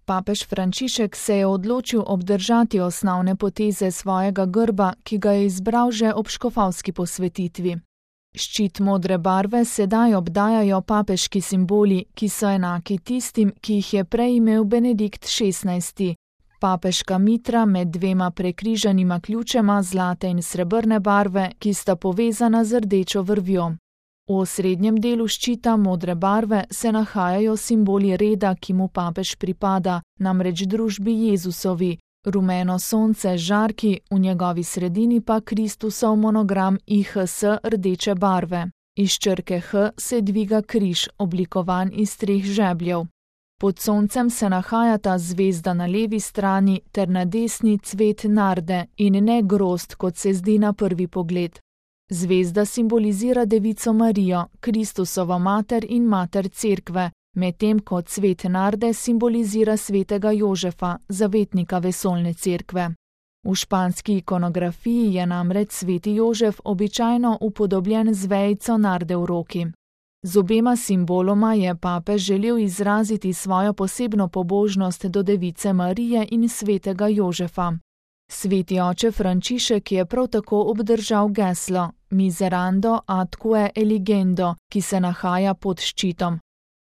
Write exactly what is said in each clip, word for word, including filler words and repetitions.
Papež Frančišek se je odločil obdržati osnovne poteze svojega grba, ki ga je izbral že ob škofovski posvetitvi. Ščit modre barve sedaj obdajajo papeški simboli, ki so enaki tistim, ki jih je prej imel Benedikt šestnajsti. Papeška mitra med dvema prekrižanima ključema zlate in srebrne barve, ki sta povezana z rdečo vrvjo. V osrednjem delu ščita modre barve se nahajajo simboli reda, ki mu papež pripada, namreč družbi Jezusovi, rumeno sonce z žarki, v njegovi sredini pa Kristusov monogram I H S rdeče barve. Iz črke H se dviga križ, oblikovan iz treh žebljev. Pod soncem se nahajata zvezda na levi strani ter na desni cvet narde in ne grozd, kot se zdi na prvi pogled. Zvezda simbolizira Devico Marijo, Kristusovo mater in mater Cerkve, medtem ko cvet narde simbolizira svetega Jožefa, zavetnika vesoljne cerkve. V španski ikonografiji je namreč sveti Jožef običajno upodobljen z vejico narde v roki. Z obema simboloma je papež želel izraziti svojo posebno pobožnost do Device Marije in svetega Jožefa. Sveti oče Frančišek je prav tako obdržal geslo Miserando atque eligendo, ki se nahaja pod ščitom.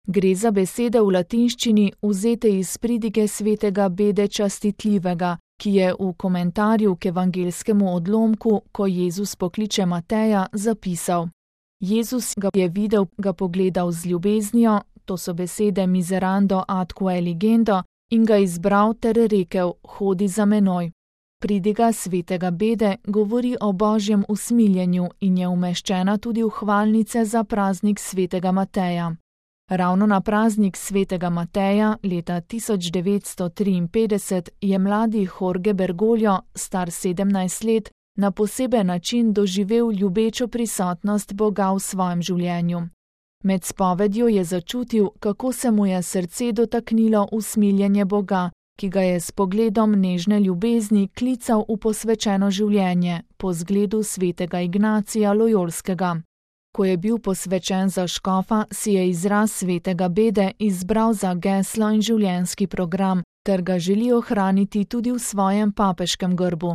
Gre za besede v latinščini vzete iz pridige svetega Bede Častitljivega, ki je v komentarju k evangelskemu odlomku, ko Jezus pokliče Mateja, zapisal: Jezus ga je videl, ga pogledal z ljubeznijo, to so besede Miserando atque eligendo, in ga izbral ter rekel: hodi za menoj. Pridiga svetega Bede govori o božjem usmiljenju in je umeščena tudi v hvalnice za praznik svetega Mateja. Ravno na praznik svetega Mateja leta tisoč devetsto triinpetdeset je mladi Jorge Bergoglio, star sedemnajst let, na poseben način doživel ljubečo prisotnost Boga v svojem življenju. Med spovedjo je začutil, kako se mu je srce dotaknilo usmiljenje Boga, ki ga je s pogledom nežne ljubezni klical v posvečeno življenje, po zgledu svetega Ignacija Lojolskega. Ko je bil posvečen za škofa, si je izraz svetega Bede izbral za geslo in življenjski program, ter ga želi ohraniti tudi v svojem papeškem grbu.